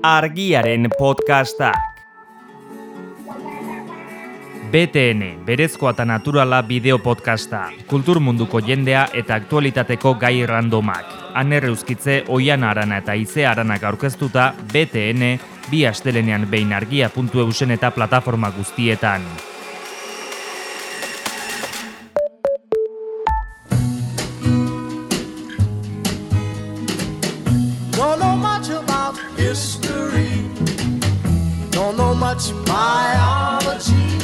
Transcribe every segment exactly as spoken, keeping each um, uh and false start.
Argiaren podcastak. B T N, berezkoa eta naturala bideo podcasta, kultur munduko jendea eta aktualitateko gai randomak. Aner Euskitze, Oiana Arana eta Ize Aranak aurkeztuta B T N, bi astelenean behin argia puntu eusen eta plataforma guztietan. Don't know much about history. Don't know much biology.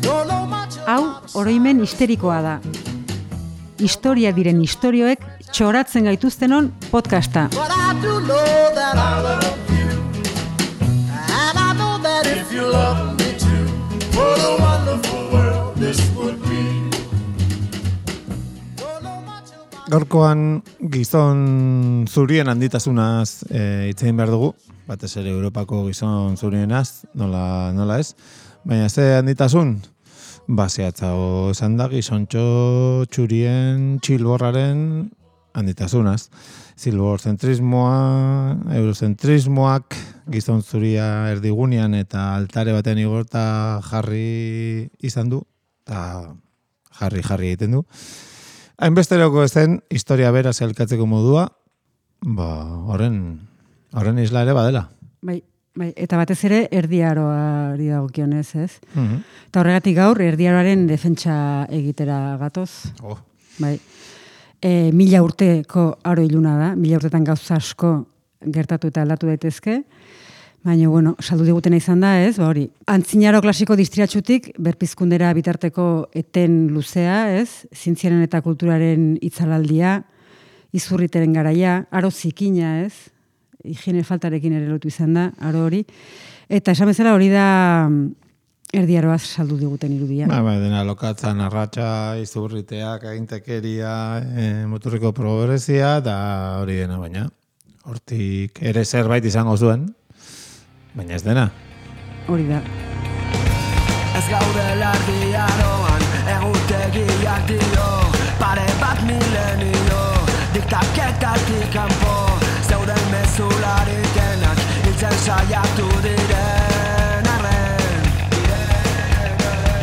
Don't know much about... Hau, oroimen histerikoa da. Historia diren istorioek txoratzen gaituztenon podcasta. But I do know that I love you. And I know that if you love me too, what a wonderful world this would be. Don't know much about... Gaurkoan gizon zurien handitasunaz e, hitz egin behar dugu, batez ere Europako gizon zurienaz, nola, nola ez, baina ze handitasun? Baseatzago esan da gizontxo txurien txilborraren handitasunaz. Zilbortzentrismoa, eurozentrismoak, gizon zuria erdigunean eta altare baten igorta jarri izan du, eta jarri-jarri egiten du. Hainbesteroko ezen, historia bera zelkatzeko modua, ba, horren, horren isla ere badela. Bai, bai, eta batez ere erdiaroari dagokionez, ez? Mhm. Eta horregatik gaur erdiaroaren defentsa egitera gatoz. Oh. Bai. E, mila urteko aro iluna da, mila urtetan gauza asko gertatu eta aldatu daitezke. Baina, bueno, saldu digutena izan da, ez? Ba hori, antzinaro klasiko distiratsutik berpizkundera bitarteko eten luzea, ez? Zientziaren eta kulturaren itzalaldia, izurriteren garaia, aro zikina, ez? Higiene faltarekin ere lotu izan da, aro hori. Eta esan bezala hori da erdiaroaz saldu diguten irudia. Ba, ba, dena lokatzan arratsa, izurriteak, agintekeria, e, muturriko progresia, eta hori dena baina. Hortik ere zerbait izango zuen, baina ez dena. Hori da. Ez gaude erdiaroan, egutegiak dio, pare bat milenio, diktaketatik kanpo, zeuden mezularitenak, hiltzen saiatu diren arren.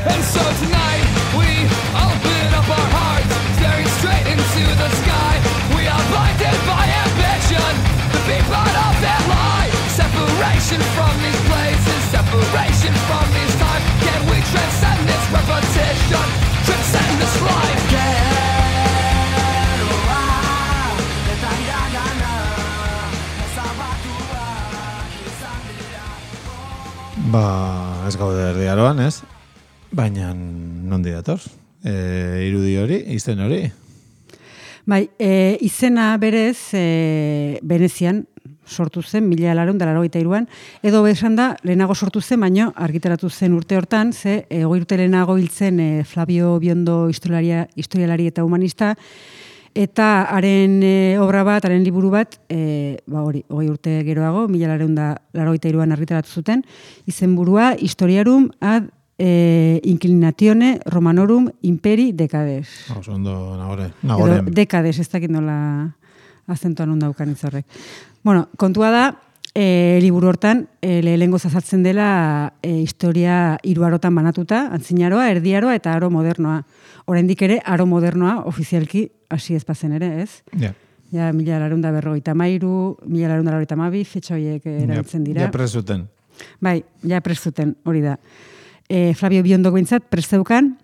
And so tonight we open up our hearts, staring straight into the sky. We are blinded by ambition, the big part of their lie. Separation from these places, separation from these time. Can we transcend this repetition, transcend this life? Ba, ez gaude erdiaroan, ez? Baina nondi dator? E, irudi hori, izen hori? Bai, e, izena berez e, Venezian sortu zen, mila laurehun eta laurogeita hiruan, edo esan da, lehenago sortu zen, baino argitaratu zen urte hortan, ze e, hogei urte lehenago hiltzen e, Flavio Biondo historialaria, historialari eta humanista, eta haren e, obra bat, haren liburu bat, e, ba hori, hogei urte geroago, mila laurehun eta laurogeita hiruan argitaratu zuten, izenburua Historiarum ad e, Inclinatione Romanorum Imperi Decades. Oso ondo nagore, nagoren. Edo Decades, ez dakit nola azentuan hon daukan itzorrek. Bueno, kontua da, e, liburu hortan, e, lehengo zazartzen dela e, historia hiru arotan banatuta, antzinaroa, erdiaroa eta aro modernoa. Oraindik ere, aro modernoa ofizialki hasi ez bazen ere, ez? Ja. Ja, mila laurehun eta berrogeita hamairu, mila laurehun eta laurogeita hamabi, fetxa horiek erabiltzen dira. Ja presuten. Bai, ja prestuten, hori da. E, Flavio Biondo gointzat presteukan,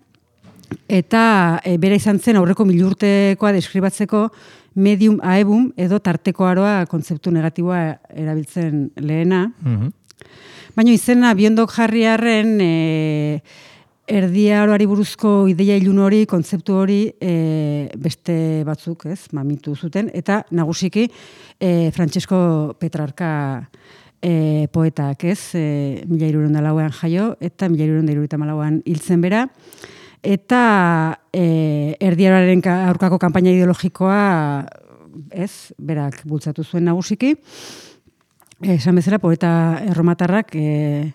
eta e, bera izan zen aurreko milurtekoa deskribatzeko medium aebum edo tarteko aroa kontzeptu negatiboa erabiltzen lehena. Mhm. Baina izena Biondok jarriarren e, erdiaroari buruzko ideia ilun hori, kontzeptu hori e, beste batzuk, ez, mamitu zuten, eta nagusiki e, Francesco Petrarca e, poetak, ez, e, mila hirurehun eta lauean jaio, eta mila hirurehun eta hirurogeita hamalauan hiltzen bera, eta e, erdiaroaren aurkako kanpaina ideologikoa, ez, berak bultzatu zuen nagusiki, esan bezala, poeta erromatarrak e,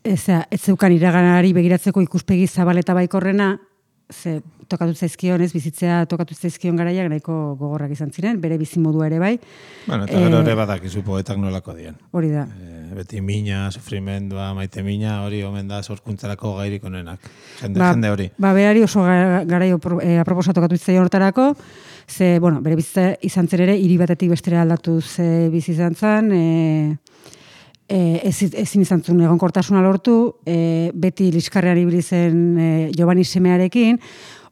ez, ez zeukan iraganari begiratzeko ikuspegi zabal eta baikorrena, ze tokatu zaizkion, ez, bizitzea tokatu zaizkion garaiak nahiko gogorrak izan ziren, bere bizimodua ere bai. Bueno, eta gero ere badakizu poetak nolako dien. Hori da. E, beti mina, sufrimendua, maite mina, hori omen da sorkuntzarako gairik onenak. Jende, ba, jende hori. Ba, berari oso garai e, aproposa tokatu zitzaion hortarako, ze, bueno, bere bizitza izan zen ere, hiri batetik bestera aldatuz e, bizi izan zen, e, e, ez, ezin izan zuen egonkortasuna lortu, e, beti liskarrean ibili zen e, Giovanni semearekin,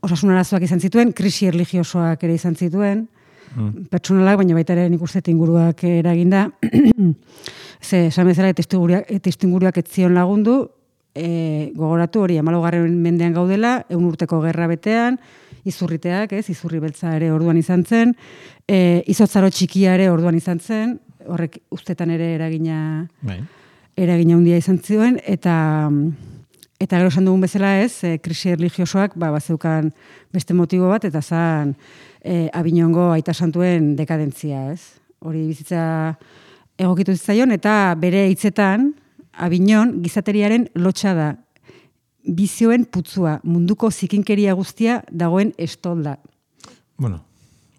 osasun arazoak izan zituen, krisi erlijiosoak ere izan zituen, mm. pertsonalak, baina baita ere nik uste inguruak eraginda. Ze, esan bezala, testuinguruak ez zion lagundu, e, gogoratu hori, hamalaugarren mendean gaudela, ehun urteko gerra betean, izurriteak, ez, izurri beltza ere orduan izan zen, e, izotzaro txikia ere orduan izan zen, horrek ustetan ere eragina, bai. eragina handia izan zuen, eta eta gero esan dugun bezala ez, e, krisi erlijiosoak ba, bazeukan beste motibo bat, eta zan e, Avignongo aita santuen dekadentzia, ez? Hori bizitza egokitu zitzaion, eta bere hitzetan Avignon gizateriaren lotxa da, bizioen putzua, munduko zikinkeria guztia dagoen estolda. Bueno,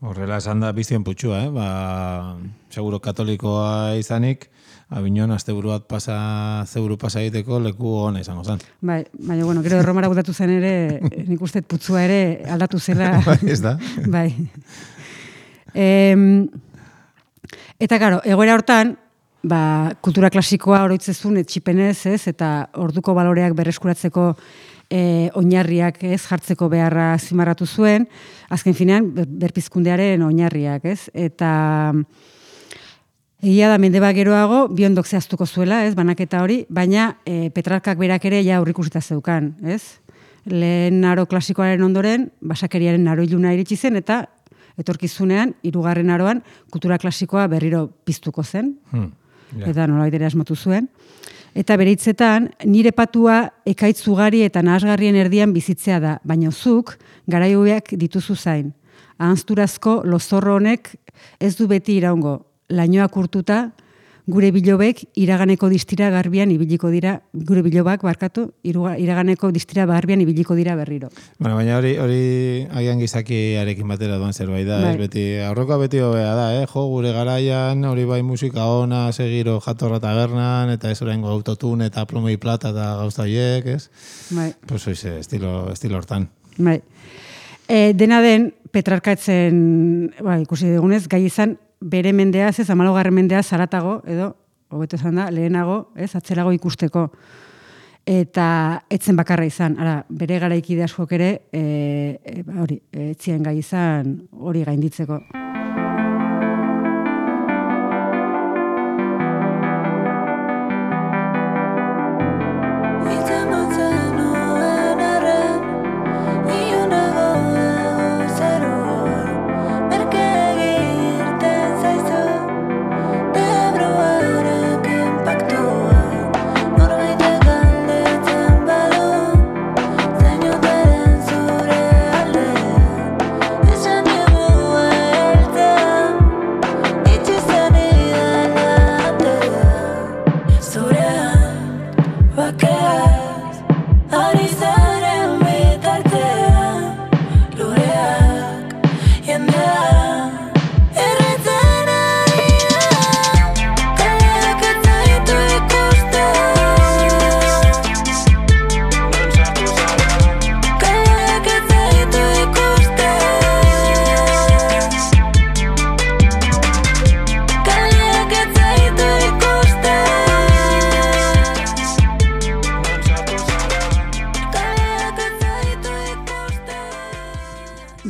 horrela esan da bizien putzua, eh? Ba, seguro katolikoa izanik, Avignon asteburu bat pasa, zeuru pasa egiteko leku hona izango zen. Bai, baina, bueno, gero Erromara butatu zen ere, nik uste putzua ere aldatu zela. Bai, ez da. Bai. E, eta, karo, egoera hortan, ba, kultura klasikoa oroitzezun etxipenez, ez, eta orduko baloreak berreskuratzeko e, oinarriak, ez, jartzeko beharra zimarratu zuen, azken finean, berpizkundearen oinarriak, ez, eta egia da mende bat geroago, biondok zehaztuko zuela, ez, banaketa hori, baina e, Petrarkak berak ere ja aurrikusita zeukan, ez? Lehen aro klasikoaren ondoren, basakeriaren aro iluna iritsi zen, eta etorkizunean, hirugarren aroan, kultura klasikoa berriro piztuko zen, hmm, yeah. Eta nolabait ere asmatu zuen. Eta bere hitzetan, nire patua ekaitz ugari eta nahasgarrien erdian bizitzea da, baina zuk garaioak dituzu zain. Ahanzturazko lozorro honek ez du beti iraungo, lainoak urtuta, gure bilobek iraganeko distira garbian ibiliko dira, gure bilobak barkatu, iraganeko distira garbian ibiliko dira berriro. Bueno, baina hori hori agian gizakiarekin batera doan zerbait da, bai. Ez beti, aurrokoa beti hobea da, eh? Jo, gure garaian, hori bai musika ona, segiro jatorra tabernan, eta ez oraingo autotune eta plomei plata eta gauza horiek, ez? Bai. Pues oize, estilo, estilo hortan. Bai. E, dena den, Petrarka etzen, bai, ikusi dugunez, gai izan, bere mendeaz, ez, hamalaugarren mendeaz zaratago, edo, hobeto esan da, lehenago, ez, atzerago ikusteko. Eta etzen bakarra izan, ara, bere garaikide askok ere, e, e, hori, etzien gai izan hori gainditzeko.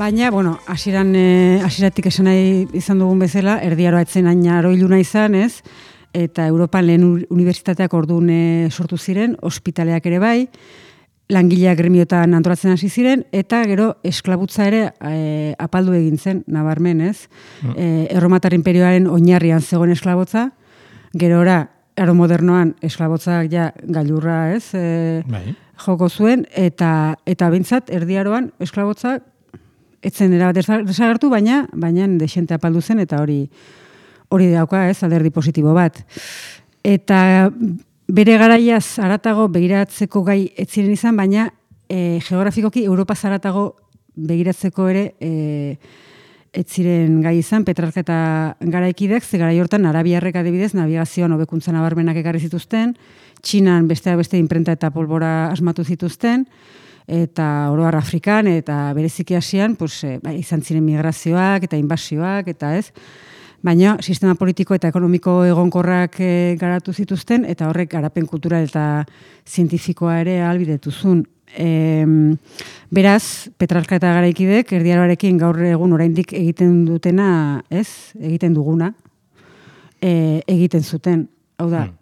Baina, bueno, hasieran eh, hasieratik esan nahi izan dugun bezala, erdiaroa etzen hain aroiluna izan, ez? Eta Europan lehen unibertsitateak orduan eh, sortu ziren, ospitaleak ere bai, langileak gremiotan antolatzen hasi ziren, eta gero esklabutza ere eh, apaldu egin zen, nabarmen, ez? Mm. Eh, Erromatar inperioaren oinarrian zegoen esklabotza, gerora, aro modernoan esklabotzak ja gailurra, ez? Eh, bai. Joko zuen, eta eta bintzat, erdiaroan esklabotzak etzen era bat desagertu, baina baina dexente apaldu zen, eta hori hori dauka, ez, alderdi positibo bat. Eta bere garaiaz haratago begiratzeko gai ez ziren izan, baina e, geografikoki Europa zaratago begiratzeko ere e, ez ziren gai izan, Petrarka eta garaikidek, ze garai hortan arabiarrek adibidez navigazioan hobekuntza nabarmenak ekarri zituzten, Txinan besteak beste inprenta eta polbora asmatu zituzten, eta oroar Afrikan eta bereziki Asian, pues, e, bai, izan ziren migrazioak eta inbasioak eta ez, baina sistema politiko eta ekonomiko egonkorrak e, garatu zituzten, eta horrek garapen kultural eta zientifikoa ere ahalbidetuzun. E, beraz, Petrarka eta garaikidek erdiaroarekin gaur egun oraindik egiten dutena, ez, egiten duguna, e, egiten zuten. Hau da, hmm.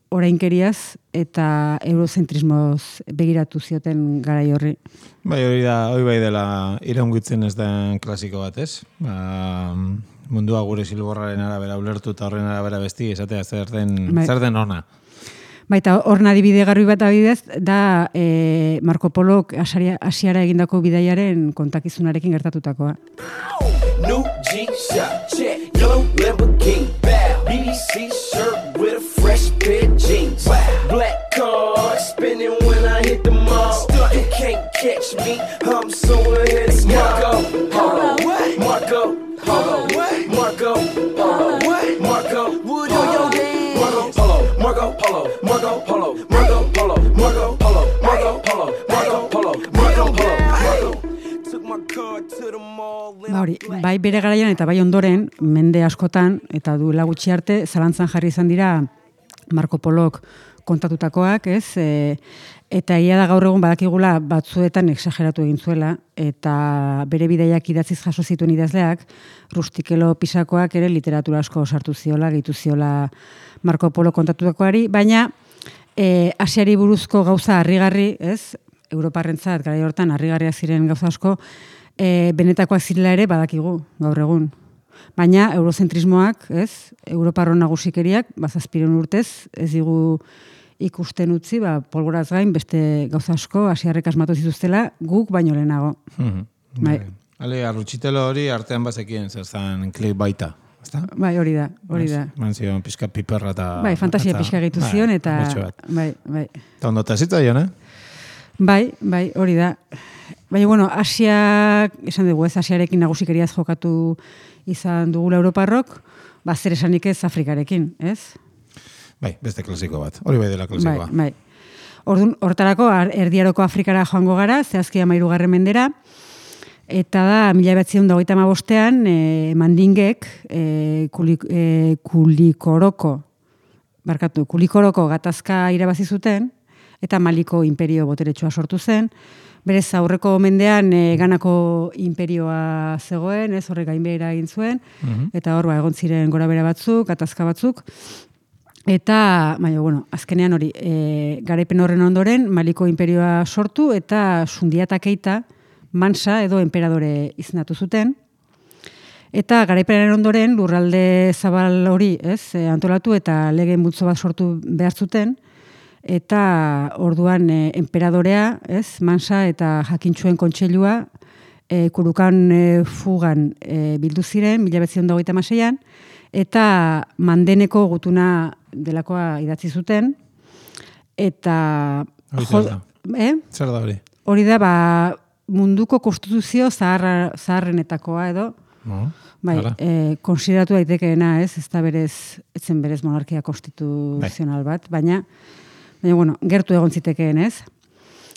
orainkeriaz eta eurozentrismoz begiratu zioten garai horri. Bai, hori da, hori bai dela iraungitzen ez den klasiko bat, ez? Ba, mundua gure zilborraren arabera ulertu eta horren arabera besti, esatea zer den, bai. zer den ona. Baita, horna adibide garbi bat abidez, da e, Marco Polok Asiara egindako bidaiaren kontakizunarekin gertatutakoa. New G-Shock, check, yellow Lamborghini, B B C shirt with a fresh pair of jeans, black card spinning when I hit the mall, you can't catch me, I'm so ahead of Marco, hold on, Marco, hold on, Marco, hold on, Marco, would you your dance? Marco Polo, Marco Polo, Marco Polo, Marco Polo, Marco Polo, Marco Polo, Marco Polo, Marco Polo, took my car to the mall. Ba hori, bai bere garaian eta bai ondoren, mende askotan, eta duela gutxi arte, zalantzan jarri izan dira Marco Polok kontatutakoak, ez? E, eta egia da gaur egun badakigula batzuetan exageratu egin zuela, eta bere bidaiak idatziz jaso zituen idazleak, Rustikelo Pisakoak ere literatura asko sartu ziola, gehitu ziola Marco Polo kontatutakoari, baina e, Asiari buruzko gauza harrigarri, ez? Europarrentzat garai hortan harrigarriak ziren gauza asko, e, benetakoak zirela ere badakigu gaur egun. Baina eurozentrismoak, ez? Europarron nagusikeriak, bazazpiren urtez, ez digu ikusten utzi, ba, polboraz gain, beste gauza asko, asiarrek asmatu zituztela, guk baino lehenago. Mm-hmm. Bai. Ale, arrutxitelo hori artean bazekien, zer zan klik baita. Ezta? Bai, hori da, hori da. Man zion pixka piperra eta... Bai, fantasia pixka gehitu zion, eta... Bai, bai. Eta ondo eta zitzaion, eh? Bai, bai, hori da. Baina, bueno, Asia, esan dugu ez, Asiarekin nagusikeriaz jokatu izan dugula Europarrok, ba, zer esanik ez Afrikarekin, ez? Bai, beste klasiko bat. Hori bai dela klasikoa. Bai, bai. Orduan, hortarako, erdiaroko Afrikara joango gara, zehazki amairugarren mendera, eta da, mila behatziehun eta hogeita hamabostean, e, mandingek, e, kulik, e, kulikoroko, barkatu, kulikoroko gatazka irabazi zuten, eta Maliko imperio boteretsua sortu zen. Berez, aurreko mendean e, Ganako imperioa zegoen, ez horrek gainbehera egin zuen, mm-hmm. eta hor, ba, egon ziren gorabehera batzuk, gatazka batzuk, eta, baina, bueno, azkenean hori, e, garaipen horren ondoren, Maliko imperioa sortu, eta Sundiata Keita, Mansa edo emperadore izendatu zuten, eta garaipenen ondoren, lurralde zabal hori, ez, e, antolatu, eta lege multzo bat sortu behar zuten, eta orduan e, emperadorea, ez, Mansa eta Jakintxuen kontseilua e, Kurukan e, fugan e, bildu ziren, mila behatziehun eta hogeita hamaseian, eta Mandeneko gutuna delakoa idatzi zuten, eta... Jo, eh? Zer da hori? Hori da, ba, munduko konstituzio zaharra, zaharrenetakoa edo, no, bai, e, konsideratu daitekeena, ez, ez da berez, etzen berez monarkia konstituzional bat, baina, baina, bueno, gertu egon zitekeen, ez?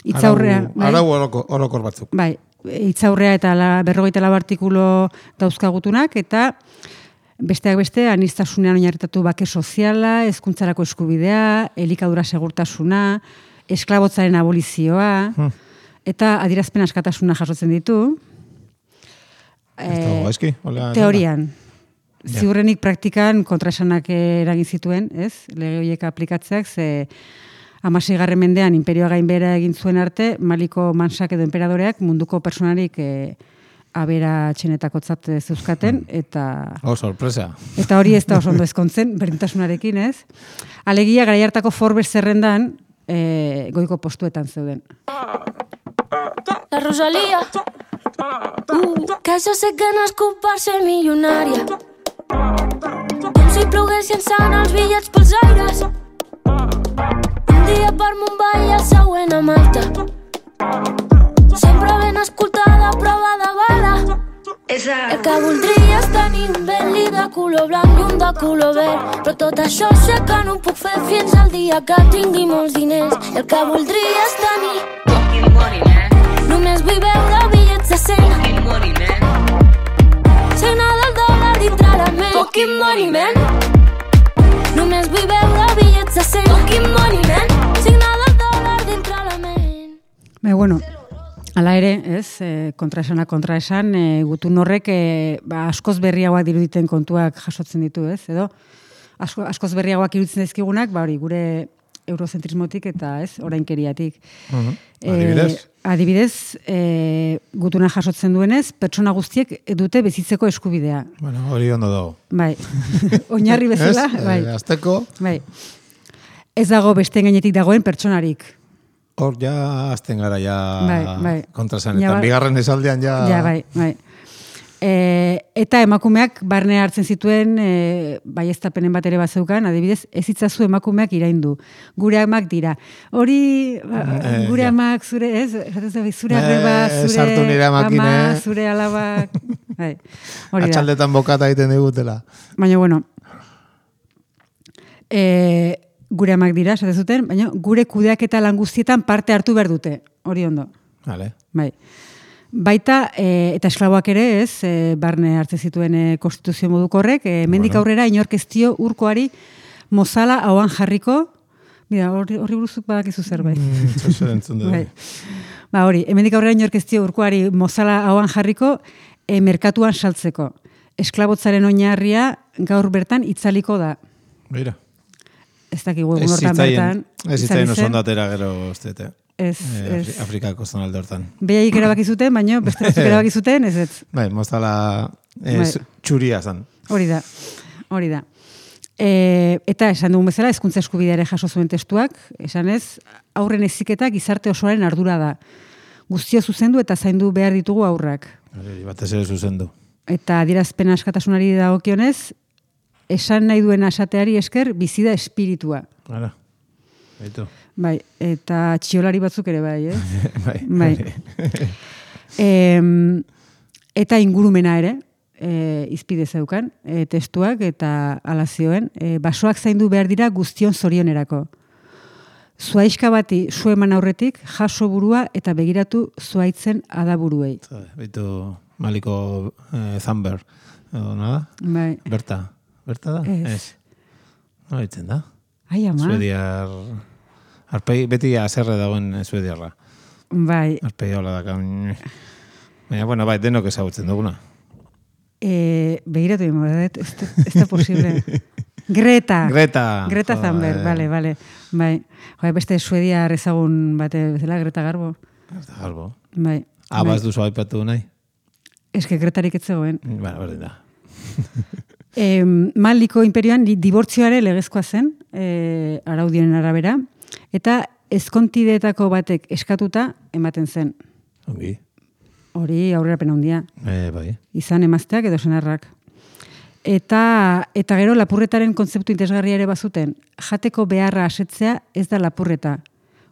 Itzaurrea, bai? Arau orokor batzuk. Bai, itzaurrea eta la, berrogeita lau artikulu dauzkagutunak, eta besteak beste, aniztasunean oinarritatu bake soziala, hezkuntzarako eskubidea, elikadura segurtasuna, esklabotzaren abolizioa, hmm. eta adierazpen askatasuna jasotzen ditu. E, teorian. Ja. Ziurrenik praktikan kontraesanak eragin zituen, ez? Lege horiek aplikatzeak, ze hamaseigarren mendean imperioa gainbehera egin zuen arte, Maliko Mansak edo emperadoreak munduko personarik e, abera txenetakotzat zeuzkaten, eta... Oh, sorpresa. Eta hori ez da oso ondo ezkontzen, berdintasunarekin, ez? Alegia, garai hartako Forbes zerrendan, e, goiko postuetan zeuden. La Rosalía, uh, que jo sé que nascut per ser milionària, com si ploguessin sant els bitllets pels aires, un dia per Mumbai i el següent a Malta, sempre ben escoltada, prova de bala. El que voldria és tenir un Bentley de color blanc i un de color verd, però tot això sé que no ho puc fer fins al dia que tingui molts diners. El que voldria és tenir fucking money, man. Només vull veure bitllets de cent. Fucking money, man. Signa del dòlar dintre la ment. Fucking money, man. Només vull veure bitllets de cent. Fucking money, man. Signa del dòlar dintre la ment. Be, bueno, hala ere, ez, e, kontraesana kontraesan, e, gutun horrek e, ba, askoz berriagoak diruditen kontuak jasotzen ditu, ez, edo asko, askoz berriagoak iruditzen dizkigunak, ba hori, gure eurozentrismotik eta ez, orainkeriatik. Uh-huh. Adibidez? E, adibidez, e, gutuna jasotzen duenez, pertsona guztiek dute bizitzeko eskubidea. Bueno, hori ondo dago. Bai, oinarri bezala, Ez? bai. E, azteko? Bai. Ez dago besteen gainetik dagoen pertsonarik. Hor ja azten gara ja Bai, bai. kontrasanetan. Ja, bai. Bigarren esaldean ja... Ja, bai, bai. E, eta emakumeak barne hartzen zituen e, baieztapenen bat ere bazeukan, adibidez, ez itzazu emakumeak iraindu. Gure amak dira. Hori, ba, Eh, gure ja. amak, zure, ez, zure Eh, arreba, sartu zure nire amakin, ama, eh. zure alabak. Bai, hori da. Atxaldetan bokata egiten digutela. Baina, bueno, e, gure amak dira, esate zuten, baina gure kudeaketa lan guztietan parte hartu behar dute. Hori ondo. Vale. Bai. Baita, e, eta esklaboak ere ez, e, barne hartzen zituen e, konstituzio moduko horrek, e, mendik Bueno. aurrera inork ez dio urkoari mozala hauan jarriko, mira, horri, horri buruzuk badakizu zerbait. Mm, Zozer entzun dut. Bai. Ba hori, hemendik aurrera inork ez dio urkoari mozala hauan jarriko e, merkatuan saltzeko. Esklabotzaren oinarria gaur bertan itzaliko da. Mira. Ez dakigu egun Ez hortan zitzaien, bertan. ez izan zitzaien oso zen. ondatera gero ustete. Ez, Eh, ez. Afri- Afrikako zonalde hortan. Behaiek erabaki zuten, baina beste batzuk erabaki zuten, ez ez. Bai, mozala eh, Bai. zu- txuria zan. Hori da, hori da. E, eta esan dugun bezala, hezkuntza eskubidea ere jaso zuen testuak, esan ez, aurren heziketa gizarte osoaren ardura da. Guztio zuzendu eta zaindu behar ditugu aurrak. Hori, batez ere zuzendu. Eta adierazpen askatasunari dagokionez, esan nahi duen esateari esker bizi da espiritua. Hala. Baitu. Bai, eta txiolari batzuk ere bai, eh? Bai. Bai. Em, eta ingurumena ere, e, izpide zeukan, e, testuak eta alazioen, e, basoak zaindu behar dira guztion zorionerako. Zuaizka bati zu eman aurretik, jaso burua eta begiratu zuaitzen adaburuei. Baitu Maliko eh, Zamber. Edo, nada? Bai. Berta. Berta da? Ez. No, ditzen da. Ai, ama. Suediar... Arpei, beti azerre dagoen suediarra. Bai. Arpei hola daka. Baina, bueno, bai, denok ezagutzen duguna. E, begiratu dimo, ez, da- ez da posible. Greta. Greta. Greta Joder. Thunberg, bale, bale. Bai. Jo, beste suedia ezagun bate bezala, Greta Garbo. Greta Garbo. Bai. Abaz bai. duzu aipatu nahi? Ez que Gretarik ez zegoen. Bueno, berdin da. E, Maliko imperioan di- dibortzioare legezkoa zen, e, araudien arabera, eta ezkontideetako batek eskatuta ematen zen. Ongi. Hori aurrerapen handia. E, bai. Izan emazteak edo senarrak. Eta, eta gero lapurretaren kontzeptu interesgarria ere bazuten. Jateko beharra asetzea ez da lapurreta.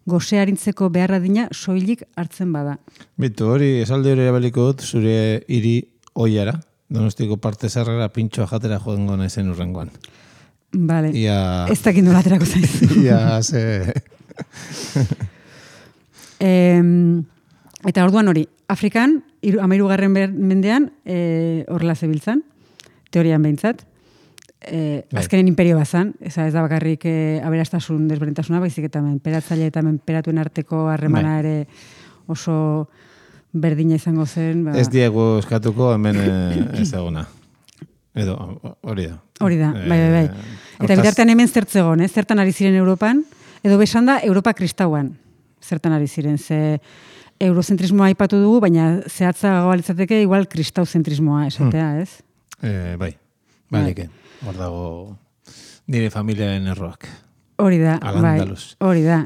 Gose arintzeko beharra dina soilik hartzen bada. Bitu, hori, esalde hori erabaliko dut, zure hiri oiara, Donostiko parte zarrera pintxoa jatera joango naizen urrengoan. Vale. Ia... Ez dakit nola aterako zaiz. Ia, ze... Em, eta orduan hori, Afrikan, iru- hamahirugarren ber- mendean, e, horrela zebiltzan, teorian behintzat, e, Bai. azkenen imperio bazan, eza ez da bakarrik e, aberastasun desberdintasuna, baizik eta menperatzaile eta menperatuen arteko harremana Bai. ere oso berdina izango zen. Ba, Ez diegu eskatuko hemen eh, ez egona. Edo, hori da. hori da, bai, bai, bai. Eh, Eta hortaz- bitartean hemen zertzegon, eh? Zertan ari ziren Europan, edo besan da Europa kristauan zertan ari ziren, ze eurozentrismoa aipatu dugu, baina zehatzagoa litzateke igual kristauzentrismoa esatea, Hmm. ez? Eh, bai, balike. Hor dago nire familiaren erroak. Hori da, bai, Al-Andalus. hori da.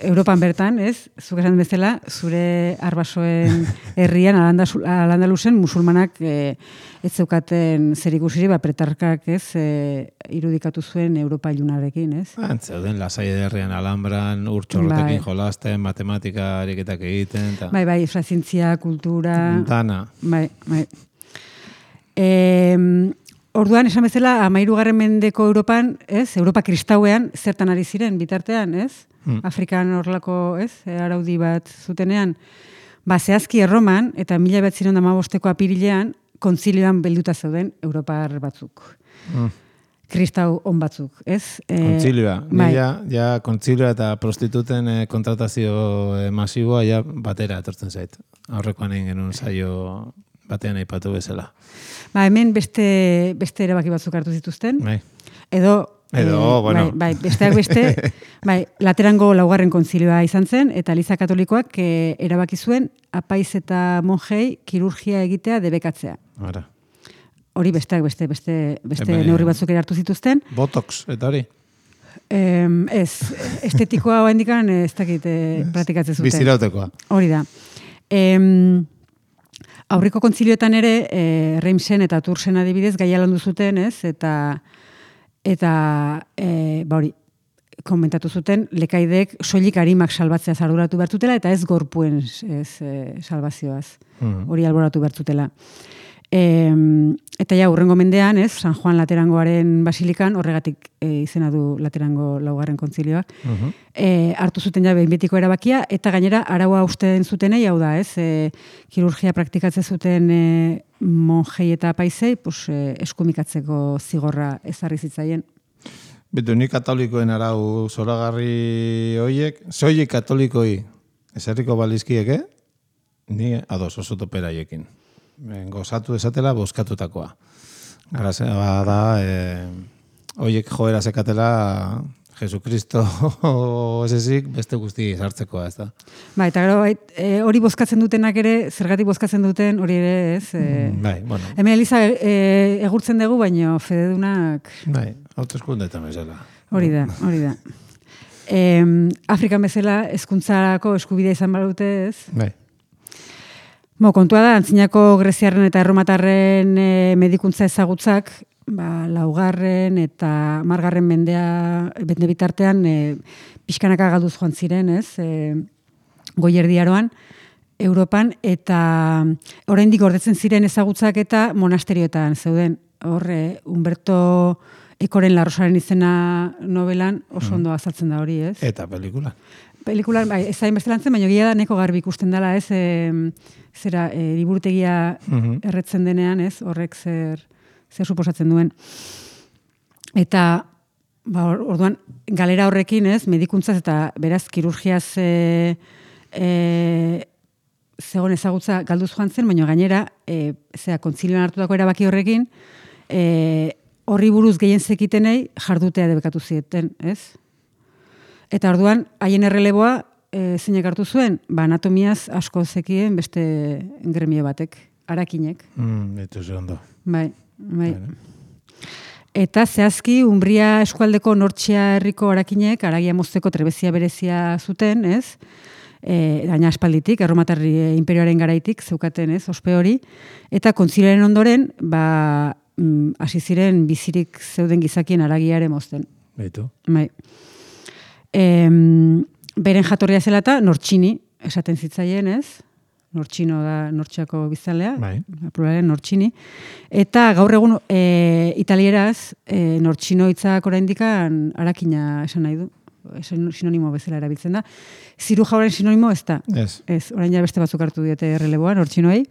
Europan bertan, ez, zuk esan bezala, zure arbasoen herrian, Al-Andalusen, Al-Andalusen musulmanak e, ez zeukaten zer ikusiri, ba, pretarkak, ez, e, irudikatu zuen Europa ilunarekin, ez? Zeuden lasai herrian Alhambran, urtxorrotekin Bai. jolasten, matematika ariketak egiten. Ta. Bai, bai, infrazientzia, kultura... Dana. Bai, bai. E, orduan, esan bezala, amairugarren mendeko Europan, ez, Europa kristauean, zertan ari ziren, bitartean, ez? Hmm. Afrikan horlako, ez, araudi bat zutenean, ba, zehazki erroman, eta mila bat ziren damabosteko apirilean, kontzilioan belduta zeuden Europar batzuk. Mm. Kristau on batzuk, ez? E, Kontzilioa. bai. Ni ja, ja kontzilioa eta prostituten eh, kontratazio eh, masiboa ja batera etortzen zait. Aurrekoan egin genuen saio batean aipatu bezala. Ba, hemen beste, beste erabaki batzuk hartu zituzten. Bai. Edo, Edo, bueno. bai, bai, besteak beste, bai, Laterango laugarren kontzilioa izan zen, eta Eliza Katolikoak e, erabaki zuen apaiz eta monjei kirurgia egitea debekatzea. Ara. Hori besteak beste, beste, beste Hemen- neurri batzuk ere hartu zituzten. Botox, eta hori. Em, ez, estetikoa oraindikan ez dakit eh, praktikatzen zuten. Bizirautekoa. Hori da. Em, aurriko kontzilioetan ere, e, Reimsen eta Tursen adibidez, gaia landu zuten, ez? Eta, eta e, ba hori, komentatu zuten, lekaideek soilik arimak salbatzea arduratu bertutela, eta ez gorpuen ez, e, salvazioaz. Mhm. Hori alboratu bertutela. E, eta ja, urrengo mendean, ez, San Juan Laterangoaren basilikan, horregatik e, izena du Laterango laugarren kontzilioak, Mhm. e, hartu zuten ja behin betiko erabakia, eta gainera araua usten zutenei, hau da, ez, e, kirurgia praktikatzen zuten e, monjei eta apaizei, pues, e, eskumikatzeko zigorra ezarri zitzaien. Betu, ni katolikoen arau zoragarri hoiek, soilik katolikoi esarriko balizkiek, eh? Ni ados oso toperaiekin. Ben, gozatu esatela bozkatutakoa. Gara da, eh, hoiek joera sekatela Jesukristo esesik beste guzti sartzekoa, ez da? Ba, eta gero, bai, e, hori bozkatzen dutenak ere, zergatik bozkatzen duten, hori ere, ez? E, Bai, bueno, hemen Eliza e, egurtzen dugu, baino fededunak bai, hauteskundeetan bezala. hori da, hori da. E, Afrikan bezala hezkuntzarako eskubidea izan badute, ez? Bai. Mo, kontua da, antzinako greziarren eta erromatarren e, medikuntza ezagutzak, ba, laugarren eta margarren mendea, bende bitartean, e, pixkanaka galduz joan ziren, ez? E, goierdiaroan, Europan, eta oraindik gordetzen ziren ezagutzak eta monasterioetan zeuden. Horre, Humberto Ekoren La Rosaren izena novelan oso ondo azaltzen da hori, ez? Eta pelikula. Pelikulan, bai, ez zain beste lantzen, baina gila da neko garbi ikusten dela, ez, e, zera, e, liburutegia Mhm. erretzen denean, ez, horrek zer, zer suposatzen duen. Eta, ba, or- orduan, galera horrekin, ez, medikuntzaz eta beraz, kirurgiaz e, e, zegoen ezagutza galduz joan zen, baina gainera, e, zera, kontzilioan hartutako erabaki horrekin, e, horri buruz gehien zekitenei jardutea debekatu zieten, ez? Eta orduan, haien erreleboa, e, zeinek hartu zuen, ba, anatomiaz asko zekien beste gremio batek, arakinek. Mm, Betu ze ondo. Bai, bai. Eta zehazki, Umbria eskualdeko Nortxia herriko arakinek, aragia mozteko trebezia berezia zuten, ez? E, gaina aspalditik, erromatarri e, imperioaren garaitik, zeukaten, ez, ospe hori. Eta kontzilioaren ondoren, ba, mm, hasi ziren bizirik zeuden gizakien aragiare mozten. Betu. Bai. Em, beren jatorria zela eta Nortxini, esaten zitzaien, ez? Nortxino da Nortxiako biztanlea, Bai. pluralen Nortxini. Eta gaur egun e, italieraz, e, Nortxino hitzak oraindikan arakina esan nahi du. Esan sinonimo bezala erabiltzen da. Zirujaoren sinonimo ez da. Ez. Ez, orain ja beste batzuk hartu diote erreleboa, Nortxinoei.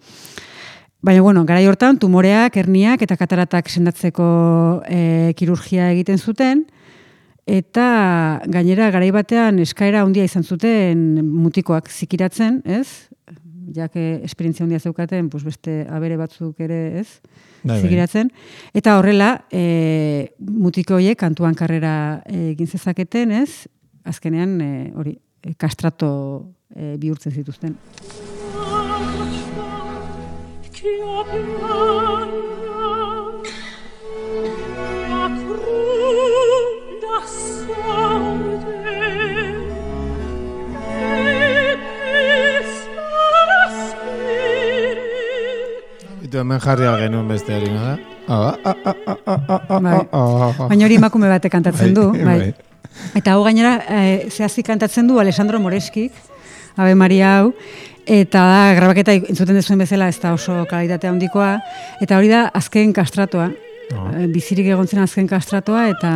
Baina, bueno, garai hortan, tumoreak, herniak eta kataratak sendatzeko e, kirurgia egiten zuten, eta gainera garai batean eskaera handia izan zuten mutikoak zikiratzen, ez? Jak esperientzia handia zeukaten, pues beste abere batzuk ere, ez? Bai, bai. Zikiratzen. Eta horrela, e, mutiko horiek kantuan karrera e, egin zezaketen, ez? Azkenean, e, hori, e, kastrato e, bihurtzen zituzten. Das Sound Beitu, hemen jarri genuen beste hori, nada? Baina hori emakume batek kantatzen du, bai. Eta hau gainera, e, zehazki kantatzen du Alessandro Moreskik, Ave Maria hau, eta da, grabaketa entzuten dezuen bezala, ez da oso kalitatea handikoa, eta hori da azken kastratoa, oh. bizirik egon zen azken kastratoa, eta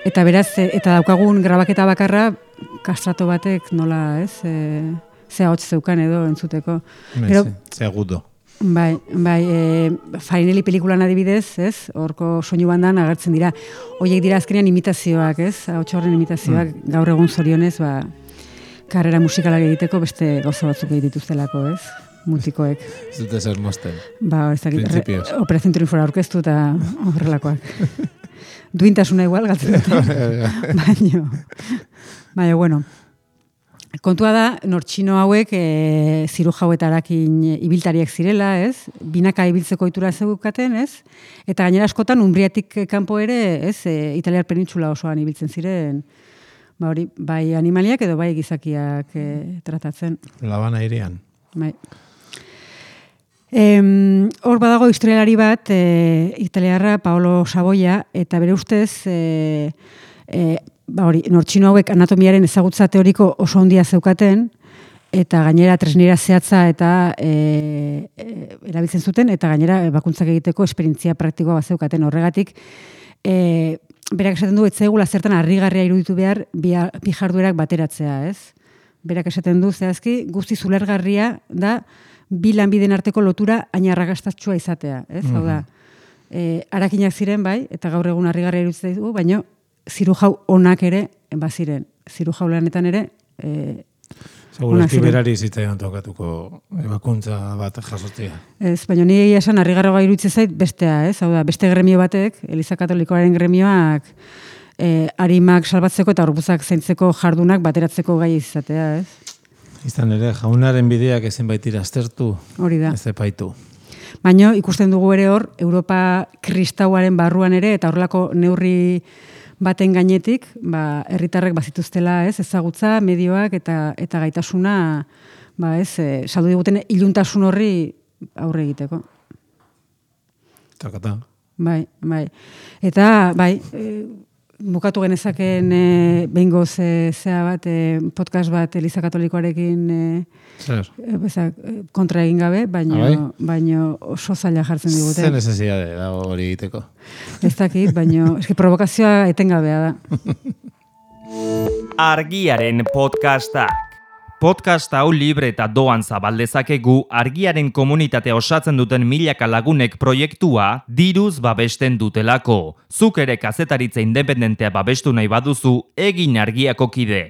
eta beraz, eta daukagun grabaketa bakarra, kastrato batek nola, ez, e, zea hotz zeukan edo entzuteko. Gero, zea gudo. Bai, bai, e, Farinelli pelikulan adibidez, ez? Horko soinu bandan agertzen dira. Hoiek dira azkenean imitazioak, ez? Ahots horren imitazioak, mm. gaur egun zorionez, ba, karrera musikalak egiteko beste gauza batzuk egituztelako, ez? Mutikoek. Ez dute zer mosten. Ba, ez dakit, Operación Triunfora aurkeztu eta horrelakoak. Duintasuna igual, galtzen dute. Baina, baina, bueno. Kontua da, nortxino hauek e, ziru jauetarakin ibiltariak zirela, ez? Binaka ibiltzeko itura zeukaten, ez? Eta gainera askotan Umbriatik kanpo ere, ez? E, Italiar penintxula osoan ibiltzen ziren, ba hori, bai animaliak edo bai gizakiak e, tratatzen. Labana irian. Bai. Em, hor badago historialari bat, e, italiarra Paolo Saboia, eta bere ustez, e, e, ba hori, nortxino hauek anatomiaren ezagutza teoriko oso handia zeukaten, eta gainera tresnera zehatza eta e, e, erabiltzen zuten, eta gainera bakuntzak egiteko esperientzia praktikoa bat zeukaten horregatik. E, berak esaten du, etzaigula zertan harrigarria iruditu behar bi, bi jarduerak bateratzea, ez? Berak esaten du, zehazki, guzti zulergarria da bi lanbiden arteko lotura hain arrakastatsua izatea, ez? Mm-hmm. Hau da, e, arakinak ziren bai, eta gaur egun harrigarria iruditzen du, baina zirujau onak ere, baziren, zirujau lanetan ere, e, Segurazki berari zitzaion tokatuko ebakuntza bat jasotzea. Ez, baina nire esan harrigarroa iruditzen zait bestea, ez? Hau da, beste gremio batek, Eliza Katolikoaren gremioak, e, arimak salbatzeko eta gorputzak zaintzeko jardunak bateratzeko gai izatea, ez? Izan ere, jaunaren bideak ezin baitira aztertu, hori da. Ez epaitu. Baina ikusten dugu ere hor, Europa kristauaren barruan ere, eta horrelako neurri baten gainetik, ba, herritarrek bazituztela, ez, ezagutza, medioak eta eta gaitasuna, ba, ez, e, saldu diguten iluntasun horri aurre egiteko. Takata. Bai, bai. Eta, bai, e, bukatu genezaken e, behingoz e, zea bat, e, podcast bat Eliza Katolikoarekin e, Zer? E, bezak, kontra egin gabe, baino, baino oso zaila jartzen digute. Zer necesidade dago hori egiteko? Ez dakit, baino, eski provokazioa etengabea da. Argiaren podcastak. Podcast hau libre eta doan zabaldezakegu argiaren komunitatea osatzen duten milaka lagunek proiektua diruz babesten dutelako. Zuk ere kazetaritza independentea babestu nahi baduzu, egin Argiako kide.